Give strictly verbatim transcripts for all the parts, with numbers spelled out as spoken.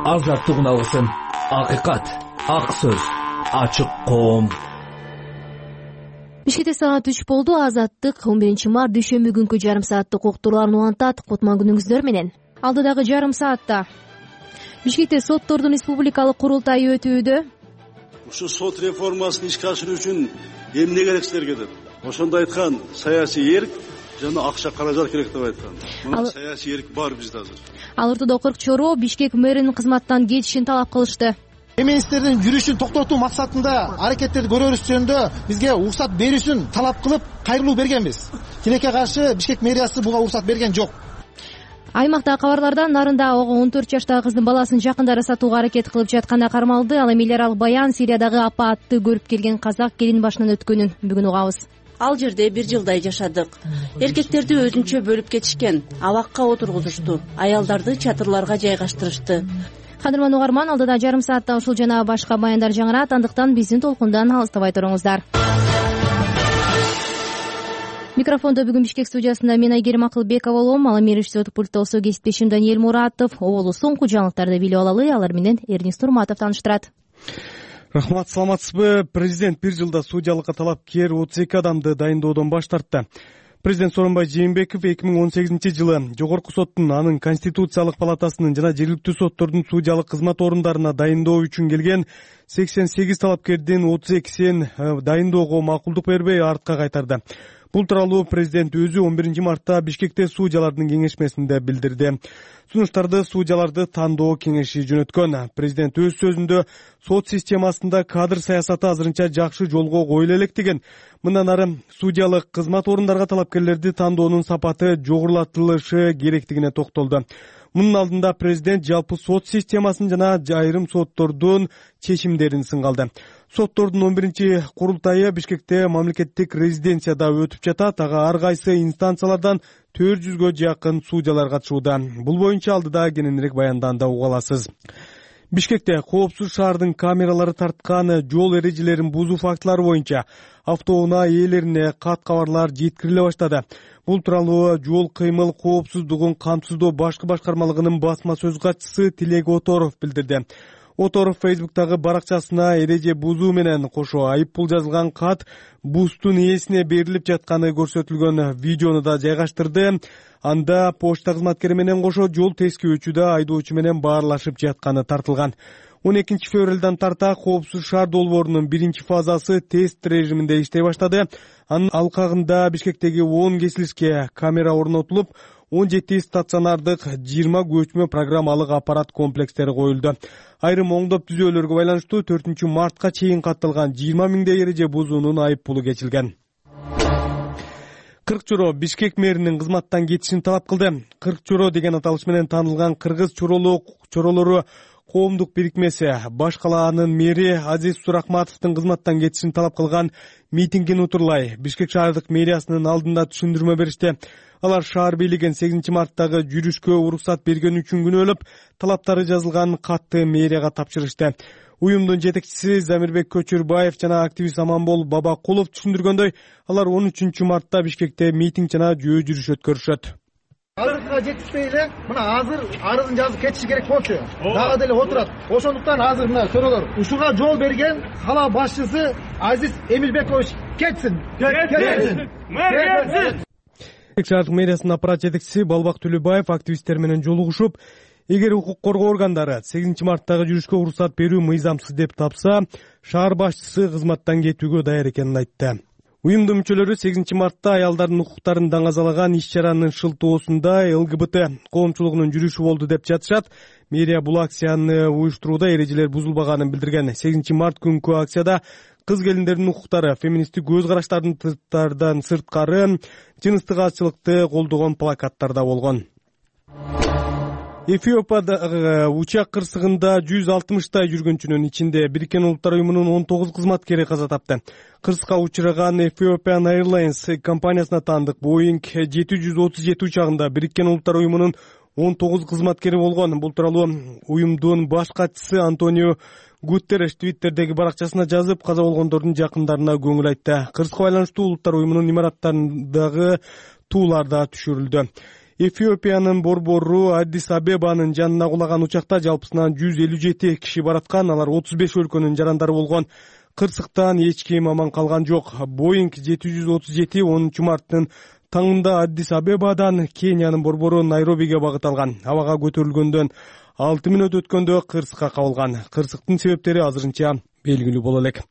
Азаттык унасын. Акыйкат, ак сөз, ачык коом. Бишкекте саат үч болду. Азаттык он биринчи март дүйшөмбү күнкү жарым сааттык уктурууларын улантат. Кутман күнүңүздөр менен. Алдыдагы жарым саатта Бишкекте соттордун республикалык курултайы өтүүдө. Ушу сот реформасын ишке ашыруу үчүн эмне керек силерге деп. Ошондо айткан саясий эрк жана акча каражат керек деп айткан. Мына саясий эрк бар бизде азыр. Ал ортодо кырк чоро Бишкек мэринин кызматтан кетишин талап кылышты. Эмнеликтердин жүрүшүн токтотуу максатында аракеттерди көрөрүз жөнүндө бизге уруксат берүүсүн талап кылып кайрылуу бергенбиз. Тилекке каршы Бишкек мэриясы буга уруксат берген жок. Аймакта кабарлардан нарында ого он төрт жаштагы кыздын баласын жакындары сатууга аракет кылып жатканы кармалды. Ал эми элер ал баян Сириядагы апаатты көрүп келген казак келин башынан өткөнүн бүгүн угабыз. Ал жерде бир жылдай жашадык. Эркектерди өзүнчө бөлүп кетишкен, абакка отургузушту, аялдарды чатырларга жайгаштырышты. Кадырман угарман, алдыда жарым саатта ушул жана башка баяндар жаңырат, андыктан биздин толкундан алыстабай туруңуздар. Микрофондо бүгүн Бишкек студиясында мен Айгерим Акылбекова болом. Ал эми режиссерлук пультта болсо кесиптешим Даниэль Муратов. Оболу соңку жаңылыктарды билип алалы. Алар менен Эрнис Турматов тааныштырат. Рахмат, саламатсызбы? Президент бир жылда судьялыкка талапкер отуз эки адамды дайындоодон баш тартты. Президент Сооронбай Жээнбеков эки миң он сегизинчи жылы Жогорку соттун, анын Конституциялык палатасынын жана жергиликтүү соттордун судьялык кызмат орундарына дайындоо үчүн келген сексен сегиз талапкердин отуз экисин дайындоого макулдук бербей артка кайтарды. Бул тууралуу президент өзү он биринчи мартта Бишкекте судьялардын кеңешмесинде билдирди. Сунуштарды судьяларды тандоо кеңеши жөнөткөн. Президент өз сөзүндө сот системасында кадр саясаты азырынча жакшы жолго коюла элек деген. Мындан ары судьялык кызмат орундарга талапкерлерди тандоонун сапаты жогорулатылышы керектигине токтолду. Мунун алдында президент жалпы сот системасын жана айрым соттордун чечимдерин сынгалды. Соттордун он биринчи курултайы Бишкекте мамлекеттик резиденцияда өтүп жатат. Ага ар кайсы инстанциялардан төрт жүзгө жакын судьялар катышууда. Бул боюнча алдыда кененирээк баянданда уга аласыз. Бишкекте коопсуз шаардын камералары тарткан жол эрежелерин бузуу фактылары боюнча автоунаа ээлерине кат кабарлар жеткириле баштады. Бул тууралуу жол кыймыл коопсуздугун камсыздоо башкы башкармалыгынын басма сөз катчысы Тилек Оторов билдирди. Оторов Фейсбуктагы баракчасына эреже бузуу менен кошо айып пул жазылган кат бустун ээсине берилип жатканы көрсөтүлгөн видеону да жайгаштырды. Анда почта кызматкери менен кошо жол тескөөчүдө айдоочу менен баарлашып жатканы тартылган. он экинчи февралдан тарта коопсуз шаар долбоорунун биринчи фазасы тест режиминде иштей баштады. Анын алкагында Бишкектеги он кесилишке камера орнотулуп, он жети стационардык, жыйырма көчмө программалык аппарат комплекстери коюлду. Айрым оңдоп түзөөлөргө байланыштуу төртүнчү мартка чейин катталган жыйырма миңдей эреже бузуунун айып пулу кечилген. кырк чоро Бишкек мэринин кызматтан кетишин талап кылды. кырк чоро деген аталыш менен таанылган кыргыз чоролору коомдук бирикмеси баш калаанын мэри Азиз Сурахматовдун кызматтан кетишин талап кылган митингин утурлай Бишкек шаардык мэриясынын алдында түшүндүрмө беришти. Алар шаар бийлигин сегизинчи марттагы жүрүшкө уруксат берген үчүн күнөөлөп, талаптары жазылган катты мэрияга тапшырышты. Уюмдун жетекчиси Замирбек Көчүрбаев жана активист Аманбол Бабакулов түшүндүргөндөй, алар он үчүнчү мартта Бишкекте митинг жана жөө жүрүш өткөрүшөт. Азыркыга жетишпей эле мына азыр арызын жазып кетиши керек болчу. Дагы деле отурат. Ошондуктан азыр мына чоролор ушуга жол берген кала башчысы Азиз Эмилбекович кетсин. Кетсин. Кетсин. Шаардык мэриясынын аппарат жетекчиси Балбак Төлөбаев активисттер менен жолугушуп, эгер укук коргоо органдары сегизинчи марттагы жүрүшкө уруксат берүү мыйзамсыз деп тапса, шаар башчысы кызматтан кетүүгө даяр экенин айтты. Уюмдун мүчөлөрү сегизинчи мартта аялдардын укуктарын даңазалаган иш-чаранын шылтоосунда эл гэ бэ тэ коомчулугунун жүрүшү болду деп жатышат. Мэрия бул акцияны уюштурууда эрежелер бузулбаганын билдирген. сегизинчи март күнкү акцияда кыз келиндердин укуктары, феминисттик көз караштардын сырткары жыныстык азчылыкты колдогон плакаттар да болгон. Эфиопиядагы учак кырсыгында жүз алтымыштай жүргүнчүнүн ичинде Бириккен Улуттар уюмунун он тогуз кызматкери каза тапты. Кырсыкка учураган Ethiopian Airlines компаниясына таандык Boeing жети жүз отуз жети учагында Бириккен Улуттар уюмунун он тогуз кызматкери болгон. Бул тууралуу уюмдун баш катчысы Антонио Гутерреш Твиттердеги баракчасына жазып, каза болгондордун жакындарына көңүл айтты. Кырсыкка байланыштуу Улуттар уюмунун имараттарындагы туулар да түшүрүлдү. Эфиопиянын борбору Аддис Абебанын жанына кулаган учакта жалпысынан жүз элүү жети киши бараткан. Алар отуз беш өлкөнүн жарандары болгон. Кырсыктан эч ким аман калган жок. Боинг жети жүз отуз жети онунчу марттын таңында Аддис Абебадан Кениянын борбору Найробиге багыт алган. Абага көтөрүлгөндөн алты мүнөт өткөндө кырсыкка кабылган. Кырсыктын себептери азырынча белгилүү боло элек.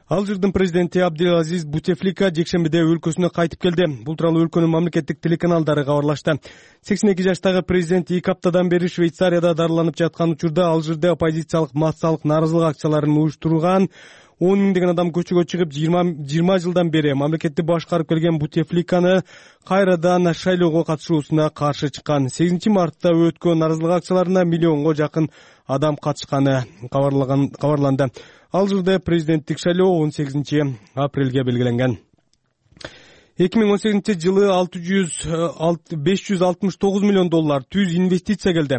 Алжирдин президенти Абделазиз Бутефлика жекшембиде өлкөсүнө кайтып келди. Бул тууралуу өлкөнүн мамлекеттик телеканалдары кабарлашты. сексен эки жаштагы президент эки аптадан бери Швейцарияда дарыланып жаткан учурда Алжирде оппозициялык массалык нааразылык акцияларын уюштурган он миңдеген адам көчөгө чыгып, жыйырма жылдан бери мамлекетти башкарып келген Бутефликаны кайрадан шайлоого катышуусуна каршы чыккан. сегизинчи мартта өткөн нааразылык акцияларына миллионго жакын адам катышканы кабарланды. Алжирде президенттик шайлоо он сегизинчи апрелге белгиленген. эки миң он сегизинчи жылы беш жүз алтымыш тогуз миллион доллар түз инвестиция келди.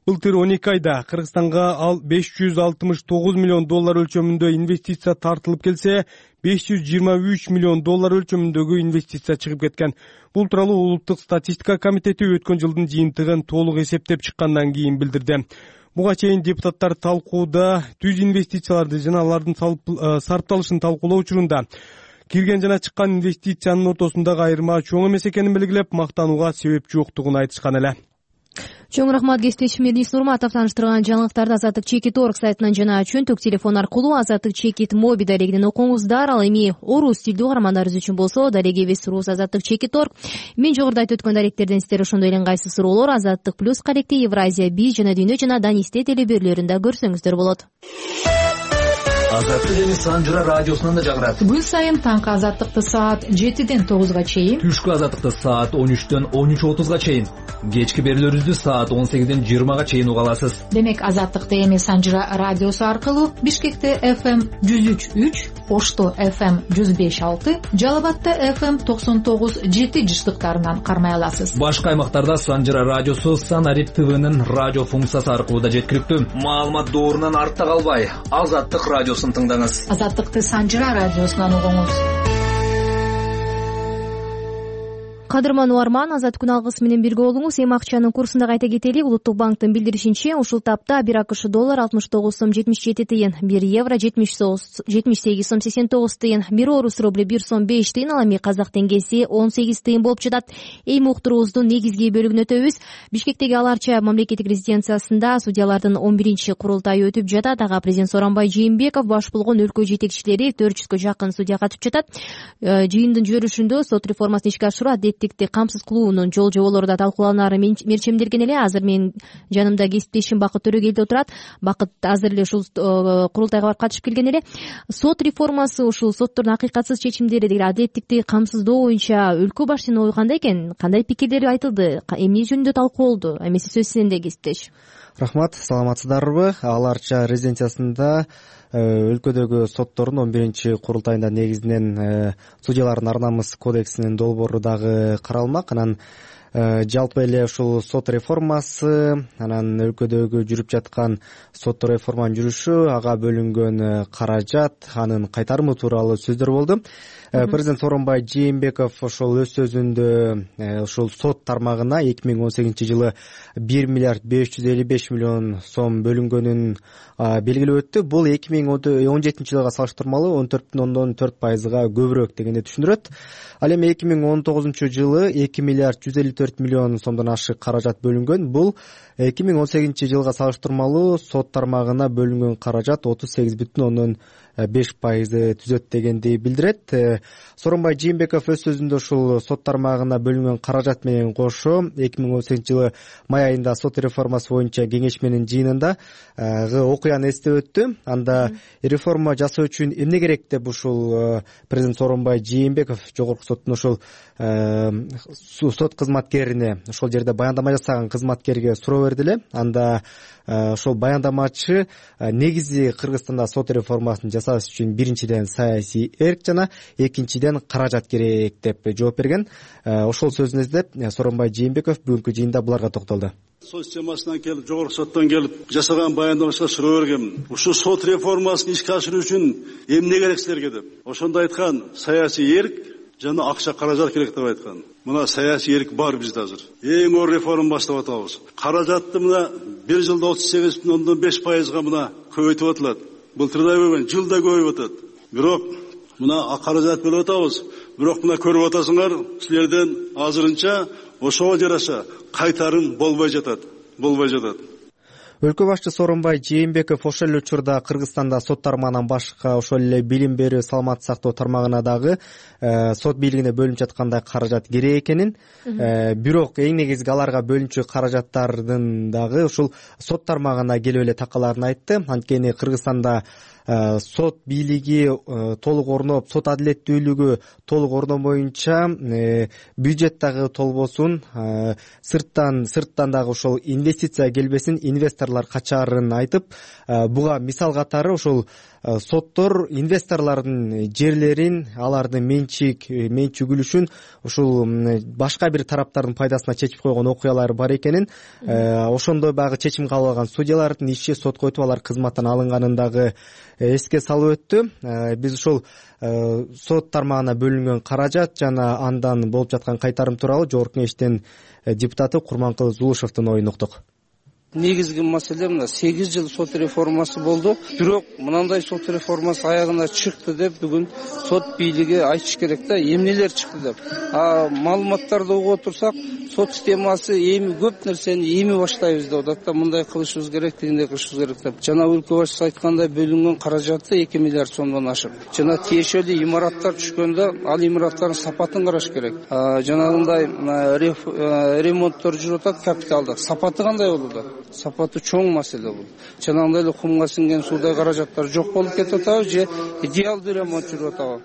Былтыр он эки айда Кыргызстанга беш жүз алтымыш тогуз миллион доллар өлчөмүндө инвестиция тартылып келсе, беш жүз жыйырма үч миллион доллар өлчөмүндөгү инвестиция чыгып кеткен. Бул тууралуу Улуттук статистика комитети өткөн жылдын жыйынтыгын толук эсептеп чыккандан кийин билдирди. Буга чейин депутаттар талкууда түз инвестицияларды жана алардын сарпталышын талкуулоо учурунда кирген жана чыккан инвестициянын ортосундагы айырма чоң эмес экенин белгилеп, мактанууга себеп жоктугун айтышкан эле. Чоң рахмат кесиптешим Мирнис Нурматов. Тааныштырган жаңылыктарды Азаттык Чекит орг сайтынан жана чөнтөк телефон аркылуу Азаттык Чекит моби дарегинен окуңуздар. Ал эми орус тилдүү каармандарыбыз үчүн болсо дарегибиз рус Азаттык Чекит орг. Мен жогоруда айтып өткөн даректерден сиздер ошондой эле ыңгайсыз суроолор Азаттык плюс каректи Евразия биз жана Дүйнө жана Данисте телеберлөрүндө көрсөңүздөр болот. Азаттык эми Санжыра радиосунан да жагырат. Күн сайын таңкы Азаттыкты саат жетиден тогузга чейин, түшкү Азаттыкты саат он үчтөн он үч отузга чейин, кечки берүүлөрүбүздү саат он сегизден жыйырмага чейин уга аласыз. Демек Азаттыкты эми Санжыра радиосу аркылуу Бишкекте эф эм жүз үч үч, Ошто эф эм жүз беш алты, Жалал Абадта эф эм токсон тогуз жети жыштыктарынан кармай аласыз. Башка аймактарда Санжыра радиосу Санарип ТВнын радио функциясы аркылуу да жеткиликтүү. Маалымат доорунан артта калбай, Азаттык радиосун тыңдаңыз. Азаттыкты Санжыра радиосунан угуңуз. Кадырман Уарман, Азат күн алгысы менен бирге болуңуз. Эми акчанын курсунда кайта кетели. Улуттук банктын билдиришинче, ушул тапта бир АКШ доллар алтымыш тогуз сом жетимиш жети тыйын, бир евро жетимиш сегиз сом сексен тогуз тыйын, бир орус рубли бир сом беш тыйын, ал эми казак теңгеси он сегиз тыйын болуп жатат. Эми уктуруубуздун негизги бөлүгүнө өтөбүз. Бишкектеги Аларча мамлекеттик резиденциясында судьялардын он биринчи курултайы өтүп жатат. Ага президент Сооронбай Жээнбеков баш болгон өлкө жетекчилери төрт жүзгө жакын судья катышып жатат. Жыйындын жүрүшүндө сот реформасын ишке ашыруу, адеттикти камсыз кылуунун жол жоболору да талкууланары мерчемделген эле. Азыр менин жанымда кесиптешим Бакыт Төрөгелди отурат. Бакыт азыр эле ушул курултайга барып катышып келген эле. Сот реформасы, ушул соттордун акыйкатсыз чечимдери деген адеттикти камсыздоо боюнча өлкө башчынын ою кандай экен? Кандай пикирлери айтылды? Эмне жөнүндө талкууланды? Эмеси сөз сенде, кесиптеш. Рахмат, саламатсыздарбы? Аларча резиденциясында өлкөдөгү соттордун он биринчи курултайында негизинен судьялардын ар намыс кодексинин долбоору дагы каралмак. Анан жалпы эле ушул сот реформасы, анан өлкөдөгү жүрүп жаткан сот реформанын жүрүшү, ага бөлүнгөн каражат, анын кайтарымы тууралуу сөздөр болду. Президент Сооронбай Жээнбеков ошол өз сөзүндө ушул сот тармагына эки миң он сегизинчи жылы бир миллиард беш жүз элүү беш миллион сом бөлүнгөнүн белгилеп өттү. Бул эки миң он жетинчи жылга салыштырмалуу он төрт бүтүн ондон төрт пайызга көбүрөөк дегенди түшүндүрөт. Ал эми эки миң он тогузунчу жылы эки миллиард жүз элүү төрт миллион сомдон ашык каражат бөлүнгөн. Бул эки миң он сегизинчи жылга салыштырмалуу сот тармагына бөлүнгөн каражат отуз сегиз бүтүн ондон беш пайызды түзөт дегенди билдирет. Сооронбай Жээнбеков өз сөзүндө ушул сот тармагына бөлүнгөн каражат менен кошо эки миң он сегизинчи жылы май айында сот реформасы боюнча кеңешменин жыйынында окуяны эстеп өттү. Анда реформа жасоо үчүн эмне керек деп ушул президент Сооронбай Жээнбеков жогорку соттун ушул сот кызматкерине, ошол жерде баяндама жасаган кызматкерге суроо берди эле. Анда ошол баяндамачы негизи Кыргызстанда сот реформасын жасаш үчүн биринчиден саясий эрк жана экинчиден каражат керек деп жооп берген. Ошол сөзүн эздеп Сооронбай Жээнбеков бүгүнкү жыйында буларга токтолду. Сот системасынан келип, жогорку соттон келип жасаган баяндамачыга суроо бергем. Ушул сот реформасын ишке ашыруу үчүн эмне керек силерге деп. Ошондо айткан, саясий эрк жана акча каражат керек деп айткан. Мына саясий эрк бар бизде азыр. Эң оор реформа баштап атабыз. Каражатты мына бир жылда отуз сегиз бүтүн ондон беш пайызга мына көбөйтүп атылат. Былтырдай болгон жылда көбөйүп атат. Бирок мына каражат бөлүп атабыз. Бирок мына көрүп атасыңар, силерден азырынча ошого жараша кайтарым болбой жатат. Болбой жатат. Өлкө башчысы Сооронбай Жээнбеков ошол эле учурда Кыргызстанда сот тармагынан башка ошол эле билим берүү, саламаттык сактоо тармагына дагы сот бийлигине бөлүнүп жаткандай каражат керек экенин, бирок эң негизги аларга бөлүнчү каражаттардын дагы ушул сот тармагына келип эле такаларын айтты. Анткени Кыргызстанда сот бийлиги толук орноп, сот адилеттүүлүгү толук орномоюнча бюджет дагы толбосун, сырттан сырттан дагы ошол инвестиция келбесин, инвесторлор качаарын айтып, буга мисал катары ушул соттор инвесторлордун жерлерин, алардын менчик менчүгүлүшүн ушул башка бир тараптардын пайдасына чечип койгон окуялар бар экенин, ошондой баягы чечим кабыл алган судьялардын иши сотко өтүп алар кызматтан алынганын дагы эске салып өттү. Биз ушул сот тармагына бөлүнгөн каражат жана андан болуп жаткан кайтарым тууралуу Жогорку Кеңештин депутаты Курманкул Зулушевдун оюн уктук. Негизги маселе мына сегиз жыл сот реформасы болду. Бирок мынандай сот реформасы аягына чыкты деп бүгүн сот бийлиги айтыш керек да, эмнелер чыкты деп. А маалыматтарды угуп отурсак, сот системасы эми көп нерсени эми баштайбыз деп атат да, мындай кылышыбыз керек, тигиндей кылышыбыз керек деп. Жана өлкө башчысы айткандай бөлүнгөн каражаты эки миллиард сомдон ашык. Жана тиешелүү имараттар түшкөндө ал имараттардын сапатын караш керек. Жанагындай ремонттор жүрүп атат капиталдык. Сапаты кандай болду? Сапаты чоң маселе бул. Жанагындай эле кумга сиңген суудай каражаттар жок болуп кетип атабы же идеалдуу ремонт жүрүп атабы?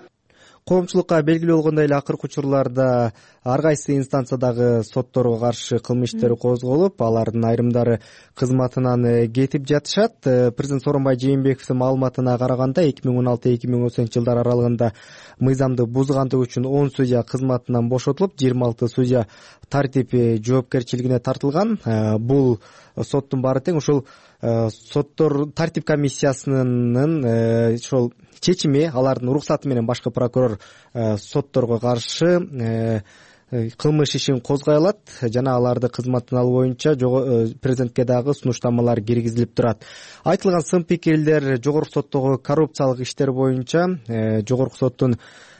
Коомчулукка белгилүү болгондой эле акыркы учурларда ар кайсы инстанциядагы сотторго каршы кылмыш иштери козголуп, алардын айрымдары кызматынан кетип жатышат. Президент Сооронбай Жээнбековдун маалыматына караганда эки миң он алты эки миң он сегизинчи жылдар аралыгында мыйзамды бузгандыгы үчүн он судья кызматынан бошотулуп, жыйырма алты судья тартип жоопкерчилигине тартылган. Бул соттун баары тең ушул соттор тартип комиссиясынын ошол чечими, алардын уруксаты менен башкы прокурор сотторго каршы кылмыш ишин козгой алат жана аларды кызматтан алуу боюнча президентке дагы сунуштамалар киргизилип турат. Айтылган сын пикирлер Жогорку соттогу коррупциялык иштер боюнча Жогорку соттун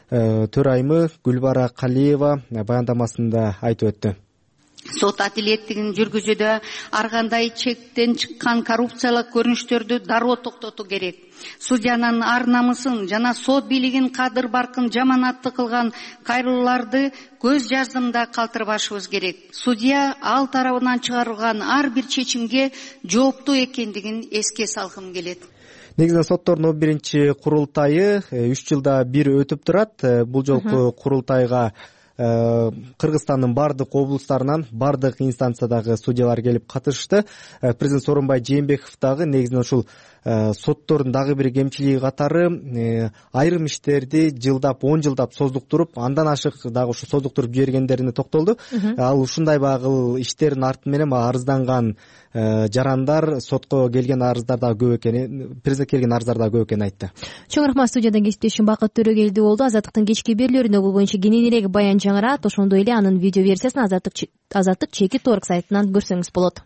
төрайымы Гүлбара Калиева баяндамасында айтып өттү. Сот адилеттигин жүргүзүүдө ар кандай чектен чыккан коррупциялык көрүнүштөрдү дароо токтотуу керек. Судьянын ар намысын жана сот бийлигин кадыр баркын жаманатты кылган кайрылууларды көз жаздымда калтырбашыбыз керек. Судья ал тарабынан чыгарылган ар бир чечимге жооптуу экендигин эске салгым келет. Негизинен соттордун он биринчи курултайы үч жылда бир өтүп турат. Бул жолку курултайга Кыргызстандын бардык облустарынан, бардык инстанциядагы судьялар келип катышты. Президент Сооронбай Жээнбеков дагы негизинен ушул соттордун дагы бир кемчилиги катары айрым иштерди жылдап, он жылдап создуктуруп, андан ашык дагы ушу создуктуруп жибергендерине токтолду. Ал ушундай багыл иштердин арты менен арызданган жарандар, сотко келген арыздар дагы көп экенин, президентке келген арыздар дагы көп экенин айтты. Чоң рахмат. Студиядан кесиптешим Бакыт Төрөгелди болду. Азаттыктын кечки берүүлөрүндө бул боюнча кененирээк баян жаңырат. Ошондой эле анын видео версиясын Азаттык Азаттык чеки торг сайтынан көрсөңүз болот.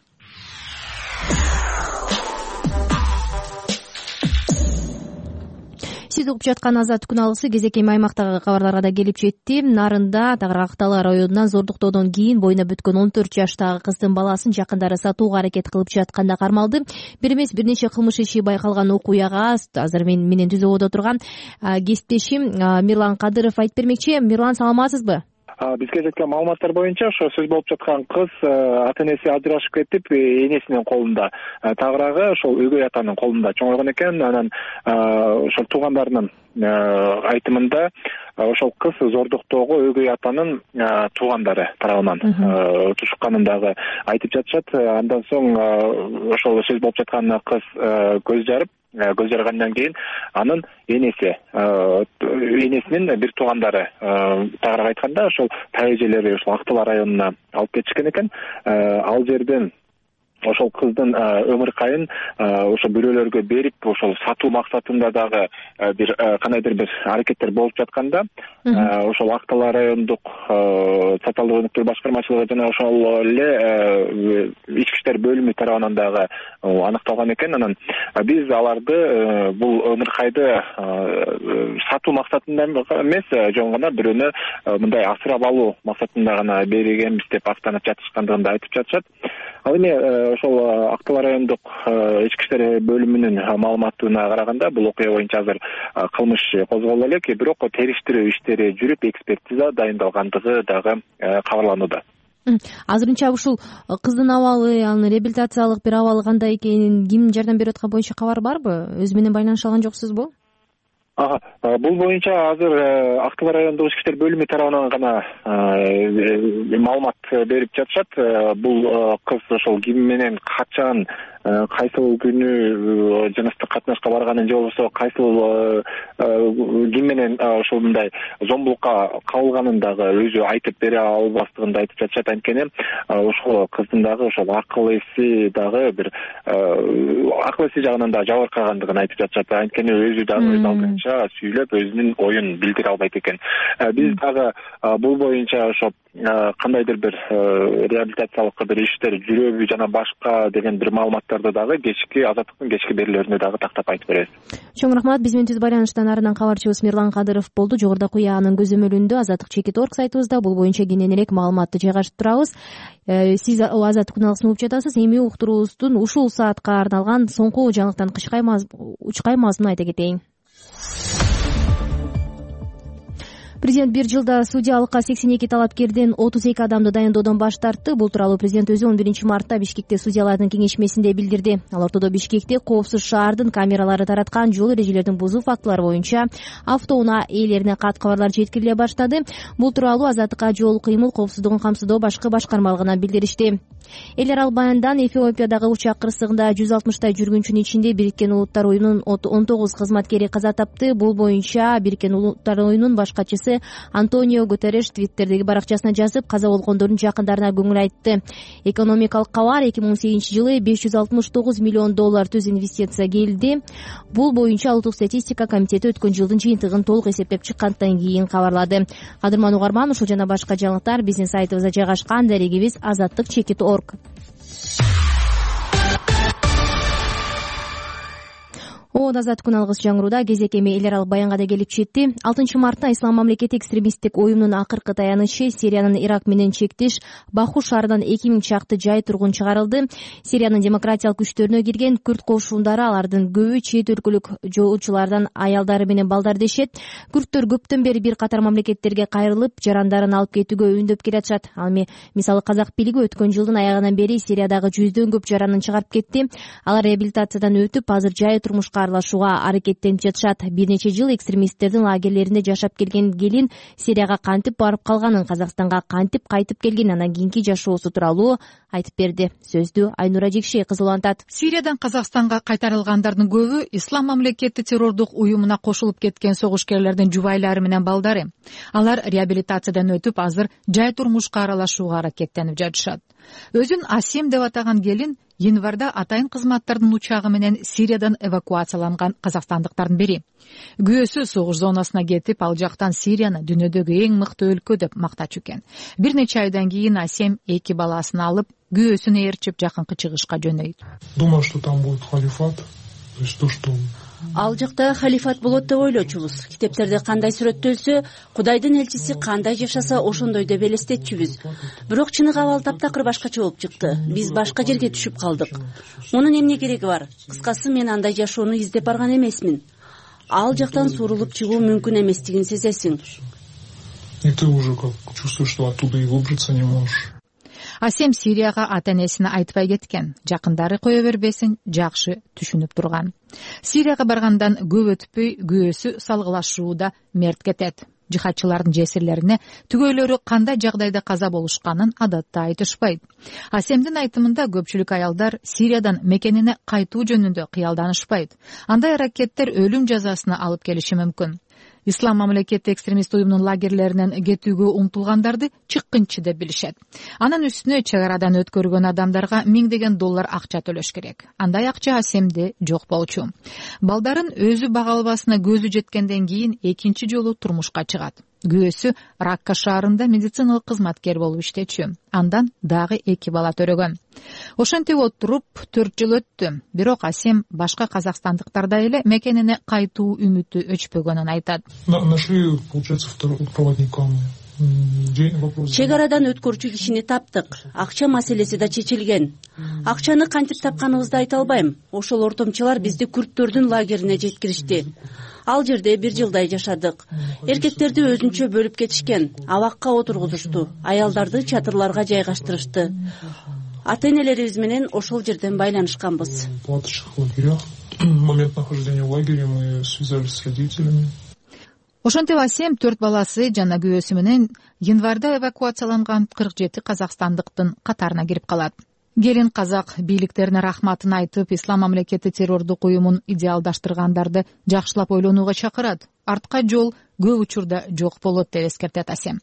Сиз угуп жаткан Азаттык күн алгысы кезек эми аймактагы кабарларга да келип жетти. Нарында Тагырак районунан зордуктоодон кийин боюна бүткөн он төрт жаштагы кыздын баласын жакындары сатууга аракет кылып жатканда кармалды. Бир эмес бир нече кылмыш иши байкалган окуяга азыр мен менен түз ободо турган кесиптешим Мирлан Кадыров айтып бермекчи. Мирлан, саламатсызбы? Бизге жеткен маалыматтар боюнча ошо сөз болуп жаткан кыз ата энеси ажырашып кетип, энесинин колунда, тагыраагы ошол өгөй атанын колунда чоңойгон экен. Анан ошол туугандарынын айтымында ошол кыз зордуктоого өгөй атанын туугандары тарабынан тушукканын дагы айтып жатышат. Андан соң ошол сөз болуп жаткан кыз көз жарып, көз жаргандан кийин анын энеси, энесинин бир туугандары тагыраак айтканда ошол таа эжелери ошол Ак Талаа районуна алып кетишкен экен. Ал жерден ошол кыздын өмүр кайын ошо бирөөлөргө берип ошол сатуу максатында дагы бир кандайдыр бир аракеттер болуп жатканда ошол Ак Талаа райондук социалдык өнүктүрүү башкармачылыгы жана ошол эле ички иштер бөлүмү тарабынан дагы аныкталган экен. Анан биз аларды бул өмүр кайды сатуу максатында эмес, жөн гана бирөөнү мындай асырап алуу максатында гана бергенбиз деп актанып жатышкандыгын да айтып жатышат. Ал эми ошол Ак Талаа райондук ички иштер бөлүмүнүн маалыматына караганда бул окуя боюнча азыр кылмыш козголду элек, бирок териштирүү иштери жүрүп экспертиза дайындалгандыгы дагы кабарланууда. Азырынча ушул кыздын абалы, анын реабилитациялык бир абалы кандай экенин, ким жардам берип аткан боюнча кабар барбы? Өзү менен байланыша алган жоксузбу? Ага, бул боюнча азыр Ак Талаа райондук ички иштер бөлүмү тарабынан гана маалымат берип жатышат. Бул кыз ошол ким менен качан, кайсыл күнү жыныстык катнашка барганын же болбосо кайсыл ким менен ошол мындай зомбулукка кабылганын дагы өзү айтып бере албастыгын да айтып жатышат. Анткени ошол кыздын дагы ошол акыл эси дагы бир акыл эси жагынан да жабыркагандыгын айтып жатышат. Анткени өзү дагы өз алдынча сүйлөп өзүнүн оюн билдире албайт экен. Биз дагы бул боюнча ошо кандайдыр бир реабилитациялык бир иштер жүрөбү жана башка деген бир маалыматтарды дагы кечки Азаттыктын кечки берүүлөрүндө дагы тактап айтып беребиз. Чоң рахмат. Биз менен түз байланыштан арынан кабарчыбыз Мирлан Кадыров болду. Жогоруда куяанын көзөмөлүндө азаттык чекит точка орг сайтыбызда бул боюнча кененирээк маалыматты жайгашып турабыз. Сиз Азаттык күналысын угуп жатасыз. Эми уктуруубуздун ушул саатка арналган соңку жаңылыктан учкаймазмун айта кетейин. Президент бир жылда судьялыкка сексен эки талапкерден отуз эки адамды дайындоодон баш тартты. Бул тууралуу президент өзү он биринчи мартта Бишкекте судьялардын кеңешмесинде билдирди. Ал ортодо Бишкекте коопсуз шаардын камералары тараткан жол эрежелерин бузуу фактылары боюнча автоунаа ээлерине кат кабарлар жеткириле баштады. Бул тууралуу Азаттыкка жол кыймыл коопсуздугун камсыздоо башкы башкармалыгынан билдиришти. Эл аралбаяндан Эфиопиядагы учак кырсыгында жүз алтымыштай жүргүнчүнүн ичинде Бириккен Улуттар уюмунун он тогуз кызматкери каза тапты. Бул боюнча Бириккен Улуттар уюмунун башкачысы Антонио Гутерреш Твиттердеги баракчасына жазып, каза болгондордун жакындарына көңүл айтты. Экономикалык кабар эки миң он сегизинчи жылы беш жүз алтымыш тогуз миллион доллар түз инвестиция келди. Бул боюнча Улуттук статистика комитети өткөн жылдын жыйынтыгын толук эсептеп чыккандан кийин кабарлады. Кадырман угарман, ушул жана башка жаңылыктар биздин сайтыбызда жайгашкан. Дарегибиз азаттык чекит точка орг. Оон азаттык күналыгыбыз жаңырууда. Кезек эми эл аралык баянга да келип жетти. алтынчы мартта Ислам мамлекети экстремисттик уюмунун акыркы таянычы Сириянын Ирак менен чектеш Баху шаарынан эки миң чакты жай тургун чыгарылды. Сириянын демократиялык күчтөрүнө кирген күрд кошундары, алардын көбү чет өлкөлүк жоочулардан аялдары менен балдар дешет. Күрдтөр көптөн бери бир катар мамлекеттерге кайрылып, жарандарын алып кетүүгө өйүндөп келатышат. Ал эми мисалы Казак бийлиги өткөн жылдын аягынан бери Сириядагы жүздөн көп жаранын чыгарып кетти. Алар реабилитациядан өтүп, азыр жай турмушка аралашууга аракеттенип жатышат. Бир нече жыл экстремисттердин лагерлеринде жашап келген келин Сирияга кантип барып калганын, Казакстанга кантип кайтып келген, анан кийинки жашоосу тууралуу айтып берди. Сөздү Айнура Жекшей кызы улантат. Сириядан Казакстанга кайтарылгандардын көбү Ислам мамлекети террордук уюмуна кошулуп кеткен согушкерлердин жубайлары менен балдары. Алар реабилитациядан өтүп, азыр жай турмушка аралашууга аракеттенип жатышат. Өзүн Асим деп атаган келин январда атайын кызматтардын учагы менен Сириядан эвакуацияланган казакстандыктардын бири. Күйөөсү согуш зонасына кетип, ал жактан Сирияны дүйнөдөгү эң мыкты өлкө деп мактачу экен. Бир нече айдан кийин Асим эки баласын алып, күйөөсүн ээрчип жакынкы чыгышка жөнөйт. Думал, что там будет халифат, то есть то, что Ал жакта халифат болот деп ойлочубуз. Китептерде кандай сүрөттөлсө, Кудайдын элчиси кандай жашаса, ошондой деп элестетчүбүз. Бирок чыныгы абал таптакыр башкача болуп чыкты. Биз башка жерге түшүп калдык. Мунун эмне кереги бар? Кыскасы, мен андай жашоону издеп барган эмесмин. Ал жактан сурулуп чыгуу мүмкүн эместигин сезесиң. И ты уже как чувствуешь, что оттуда и выбраться не можешь. Асем Сирияга ата-энесине айтпай кеткен. Жакындары кое бербесин жакшы түшүнүп турган. Сирияга баргандан көп өтпөй күйөөсү салгылашууда мерт кетет. Жихадчылардын жесирлерине түгөйлөрү кандай жагдайда каза болушканын адатта айтышпайт. Асемдин айтымында көпчүлүк аялдар Сириядан мекенине кайтуу жөнүндө кыялданышпайт. Андай аракеттер өлүм жазасына алып келиши мүмкүн. ислам мамлекети экстремист уюмунун лагерлеринен кетүүгө умтулгандарды чыккынчы деп билишет. Анын үстүнө чек арадан өткөргөн адамдарга миңдеген доллар акча төлөш керек. Андай акча Асемде жок болчу. Балдарын өзү бага албасына көзү жеткенден кийин экинчи жолу турмушка чыгат. Күйөөсү Ракка шаарында медициналык кызматкер болуп иштечү. Андан дагы эки бала төрөгөн. Ошентип отуруп төрт жыл өттү. Бирок Асем башка казакстандыктардай эле мекенине кайтуу үмүтү өчпөгөнүн айтат. Нашли, получается, второго проводника. Чек арадан өткөрчү кишини таптык. Акча маселеси да чечилген. Акчаны кантип тапканыбызды айта албайм. Ошол ортомчулар бизди күрттөрдүн лагерине жеткиришти. Ал жерде бир жылдай жашадык. Эркектерди өзүнчө бөлүп кетишкен. Абакка отургузушту. Аялдарды чатырларга жайгаштырышты. Ата-энелерибиз менен ошол жерден байланышканбыз. В момент нахождения в лагере мы связались с родителями. Ошентип Асем төрт баласы жана күйөөсү менен январда эвакуацияланган кырк жети казакстандыктын катарына кирип калат. Келин казак бийликтерине рахматын айтып, ислам мамлекети террордук уюмун идеалдаштыргандарды жакшылап ойлонууга чакырат. Артка жол көп учурда жок болот деп эскертет Асем.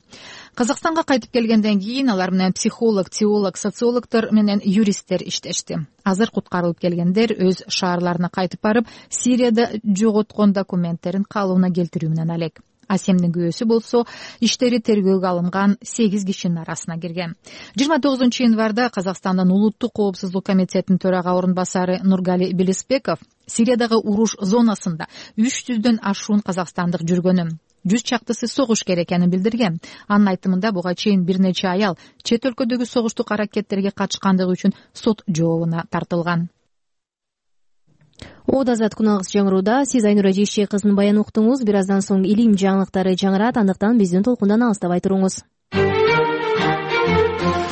Казакстанга кайтып келгенден кийин алар менен психолог, теолог, социологдор менен юристтер иштешти. Азыр куткарылып келгендер өз шаарларына кайтып барып, Сирияда жоготкон документтерин калыбына келтирүү менен алек. Асемдин күйөөсү болсо иштери тергөөгө алынган сегиз кишинин арасына кирген. жыйырма тогузунчу январда Казакстандын улуттук коопсуздук комитетинин төрага орун басары Нургали Белеспеков Сириядагы уруш зонасында үч жүздөн ашуун казакстандык жүргөнүн, жүз чактысы согушкер экенин билдирген. Анын айтымында буга чейин бир нече аял чет өлкөдөгү согуштук аракеттерге катышкандыгы үчүн сот жообуна тартылган. Ода Азат күнагыс жаңырууда. Сиз Айнура Жейше кызынын баянын уктуңуз. Бир аздан соң илим жаңылыктары жаңырат, андыктан биздин толкундан алыстабай туруңуз.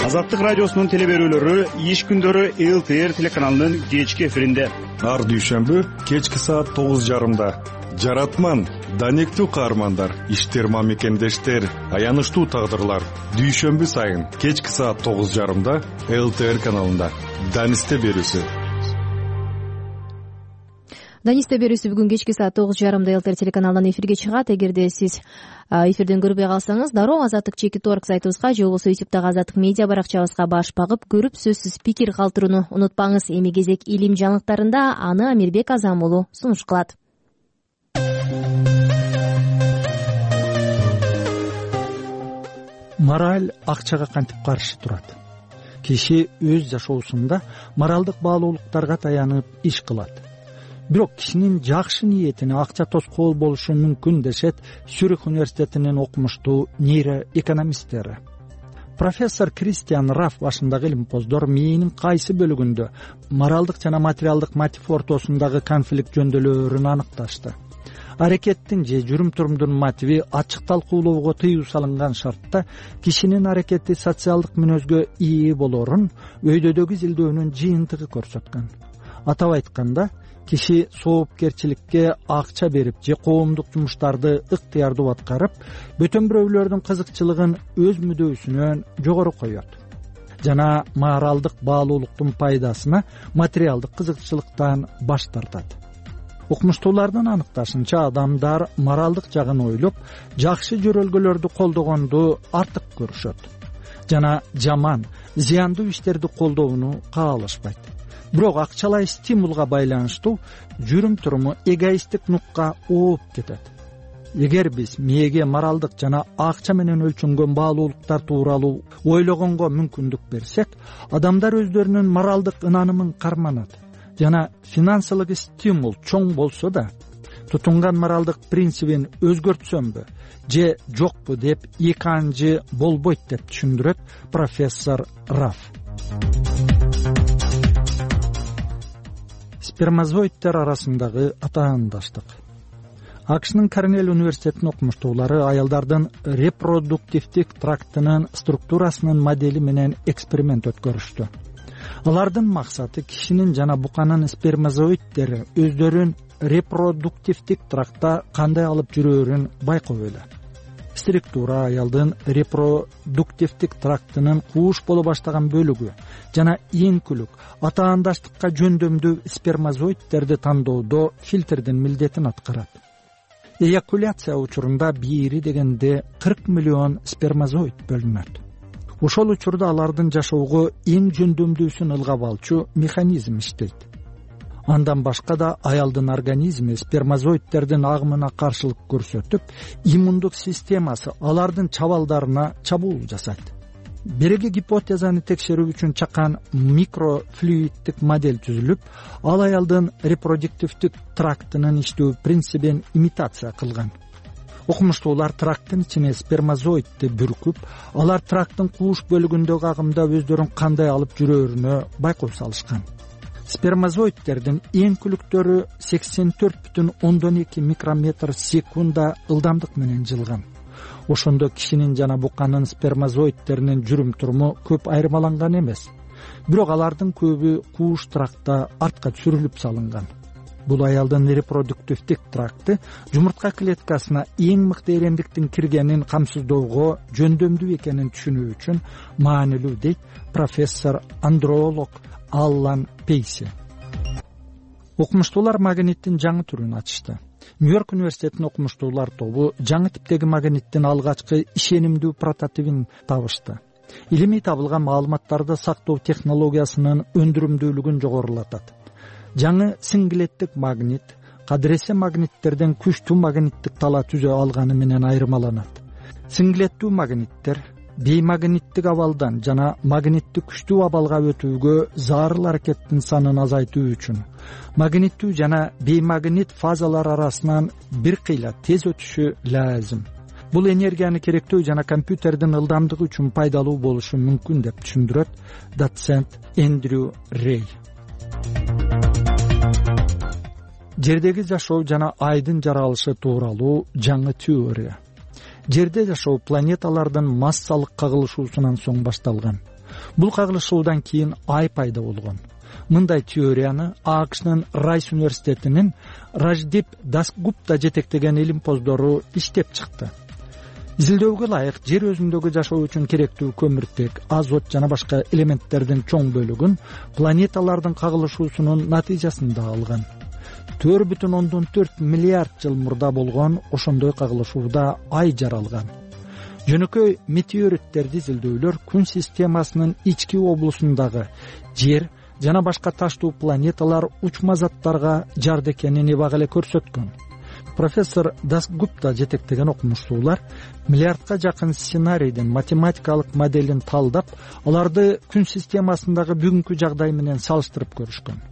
Азаттык радиосунун теле берүүлөрү иш күндөрү эл тэ эр телеканалынын кечки эфиринде. Ар дүйшөмбү кечки саат тогуз жарымда. Жаратман, данектүү каармандар, иштерма мекендештер, аянычтуу тагдырлар. Дүйшөмбү сайын кечки саат тогуз жарымда эл тэ эр каналында. Данисте берүүсү. Данисте берүүсү бүгүн кечки саат тогуз жарымда эл тэ эр телеканалынан эфирге чыгат. Эгерде сиз эфирден көрбөй калсаңыз, дароо азаттык чекит орг сайтыбызга же болбосо ютубтагы азаттык медиа баракчабызга баш багып көрүп, сөзсүз пикир калтырууну унутпаңыз. Эми кезек илим жаңылыктарында, аны Амирбек Азам уулу сунуш кылат. Мораль акчага кантип каршы турат? Киши өз жашоосунда моралдык баалуулуктарга таянып иш кылат. Бирок кишинин жакшы ниетине акча тоскоол болушу мүмкүн дешет Сюрих университетинин окумуштуу нейроэкономисттери. Профессор Кристиан Раф башындагы илимпоздор мээнин кайсы бөлүгүндө моралдык жана материалдык мотив ортосундагы конфликт жөндөөлөрүн аныкташты. Аракеттин же жүрүм-турумдун мотиви ачык талкуулоого тыюу салынган шартта кишинин аракети социалдык мүнөзгө ээ болорун өйдөдөгү изилдөөнүн жыйынтыгы көрсөткөн. Атап айтканда, киши соопкерчиликке акча берип же коомдук жумуштарды ыктыярдуу аткарып, бөтөн бирөөлөрдүн кызыкчылыгын өз мүдөөсүнөн жогору коет жана моралдык баалуулуктун пайдасына материалдык кызыкчылыктан баш тартат. Окумуштуулардын аныкташынча, адамдар моралдык жагын ойлоп, жакшы жөрөлгөлөрдү колдогонду артык көрүшөт жана жаман, зыяндуу иштерди колдоону каалашпайт. Бирок акчалай стимулга байланыштуу жүрүм-туруму эгоисттик нукка ооп кетет. Эгер биз мээге моралдык жана акча менен өлчөнгөн баалуулуктар тууралуу ойлогонго мүмкүндүк берсек, адамдар өздөрүнүн моралдык ынанымын карманат жана финансылык стимул чоң болсо да, тутунган моралдык принцибин өзгөртсөмбү же жокпу деп эки анжы болбойт деп түшүндүрөт профессор Раф. Спермазоидтер арасындагы атаандаштык. АКШнын Корнель университетинин окумуштуулары аялдардын репродуктивдик трактынын структурасынын модели менен эксперимент өткөрүштү. Алардын максаты кишинин жана буканын спермазоидтери өздөрүн репродуктивдик трактта кандай алып жүрөөрүн байкоо эле. Структура аялдын репродуктивдик трактынын кууш боло баштаган бөлүгү жана эңкүлүк атаандаштыкка жөндөмдүү спермазоидтерди тандоодо фильтрдин милдетин аткарат. эякуляция учурунда бири дегенде кырк миллион спермазоид бөлүнөт. Ошол учурда алардын жашоого эң жөндөмдүүсүн ылгап алчу механизм иштейт. Андан башка да аялдын организми спермазоидтердин агымына каршылык көрсөтүп, иммундук системасы алардын чабалдарына чабуул жасайт. Береги гипотезаны текшерүү үчүн чакан микрофлюиддик модель түзүлүп, ал аялдын репродуктивдик трактынын иштөө принцибин имитация кылган. Окумуштуулар тракттын ичине спермазоидти бүркүп, алар тракттын кууш бөлүгүндөгү агымда өздөрүн кандай алып жүрөрүнө байкоо салышкан. Спермазоидтердин эң күлүктөрү сексен төрт бүтүн ондон эки микрометр секунда ылдамдык менен жылган. Ошондо кишинин жана буканын спермазоидтеринин жүрүм туруму көп айырмаланган эмес. Бирок алардын көбү кууш трактта артка сүрүлүп салынган. Бул аялдын репродуктивдик тракты жумуртка клеткасына эң мыкты эремдиктин киргенин камсыздоого жөндөмдүү экенин түшүнүү үчүн маанилүү, дейт профессор андролог Аллан Пейси. Окумуштуулар магниттин жаңы түрүн ачышты. Нью-Йорк университетинин окумуштуулар тобу жаңы типтеги магниттин алгачкы ишенимдүү прототипин табышты. Илимий табылган маалыматтарды сактоо технологиясынын өндүрүмдүүлүгүн жогорулатат. Жаңы синглеттик магнит кадыресе магниттерден күчтүү магниттик тала түзө алганы менен айырмаланат. Синглеттүү магниттер беймагниттик абалдан жана магниттик күчтүү абалга өтүүгө зарыл аракеттин санын азайтуу үчүн магниттүү жана беймагнит фазалар арасынан бир кыйла тез өтүшү лазым. Бул энергияны керектөө жана компьютердин ылдамдыгы үчүн пайдалуу болушу мүмкүн деп түшүндүрөт доцент Эндрю Рей. Жердеги жашоо жана айдын жаралышы тууралуу жаңы теория. Жерде жашоо планеталардын массалык кагылышуусунан соң башталган. Бул кагылышуудан кийин ай пайда болгон. Мындай теорияны АКШнын Райс университетинин Раждип Дасгупта жетектеген илимпоздору иштеп чыкты. Изилдөөгө ылайык жер өзүндөгү жашоо үчүн керектүү көмүртек, азот жана башка элементтердин чоң бөлүгүн планеталардын кагылышуусунун натыйжасында алган. төрт бүтүн ондон төрт миллиард жыл мурда болгон ошондой кагылышууда ай жаралган. Жөнөкөй метеориттерди изилдөөлөр күн системасынын ички облусундагы жер жана башка таштуу планеталар учма заттарга жарды экенин эбак эле көрсөткөн. Профессор Дасгупта жетектеген окумуштуулар миллиардка жакын сценарийдин математикалык моделин талдап, аларды күн системасындагы бүгүнкү жагдай менен салыштырып көрүшкөн.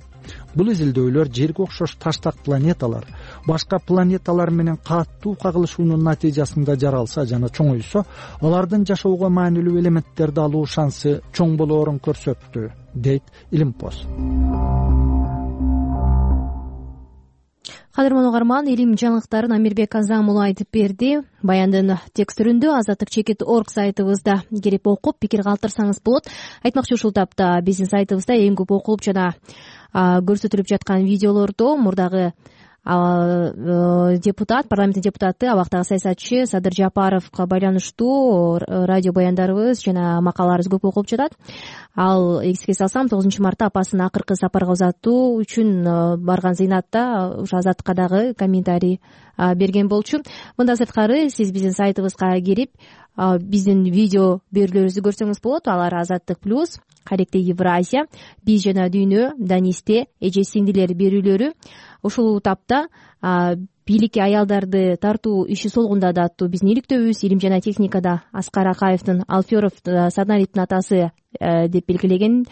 Бул изилдөөлөр жерге окшош таштак планеталар башка планеталар менен катуу кагылышуунун натыйжасында жаралса жана чоңойсо, алардын жашоого маанилүү элементтерди алуу шансы чоң болоорун көрсөттү, дейт илимпоз. Кадырман угарман, илим жаңылыктарын Амирбек Азамулу айтып берди. Баяндын текстүрүндө азаттык чекит точка орг сайтыбызда кирип окуп пикир калтырсаңыз болот. Айтмакчы, ушул тапта биздин сайтыбызда эң көп окулуп жана көрсөтүлүп жаткан видеолордо мурдагы депутат, парламенттин депутаты, абактагы саясатчы Садыр Жапаровго байланыштуу радио баяндарыбыз жана макалаларыбыз көп окулуп жатат. Ал эске салсам, тогузунчу мартта апасын акыркы сапарга узатуу үчүн барган зыйнатта ушу Азаттыкка дагы комментарий берген болчу. Мындан сырткары сиз биздин сайтыбызга кирип биздин видео берүүлөрүбүздү көрсөңүз болот. Алар Азаттык плюс, Каректе Евразия, Биз жана дүйнө, Данисте, Эже сиңдилер берүүлөрү. Ушул тапта бийликке аялдарды тартуу иши солгунда да аттуу биздин иликтөөбүз, илим жана техникада Аскар Акаевдин Алферов Саднариптин атасы деп белгилеген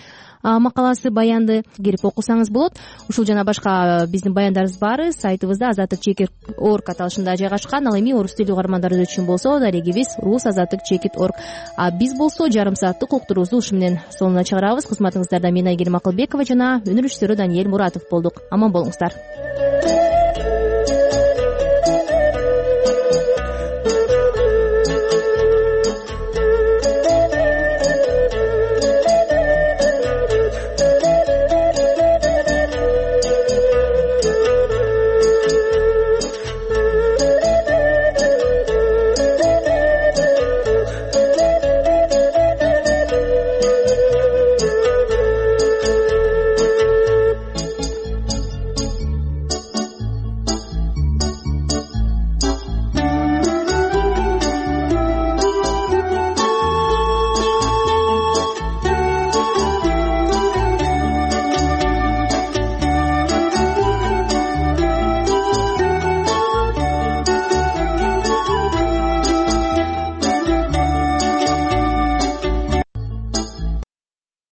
макаласы баянды кирип окусаңыз болот. Ушул жана башка биздин баяндарыбыз баары сайтыбызда азаттык чекит точка орг аталышында жайгашкан. Ал эми орус тилдүү угармандарыбыз үчүн болсо дарегибиз рус азаттык чекит точка орг. А биз болсо жарым сааттык уктуруубузду ушу менен сонуна чыгарабыз. Кызматыңыздарда мен Айгерим Акылбекова жана өнөр режиссеру Даниэль Муратов болдук. Аман болуңуздар.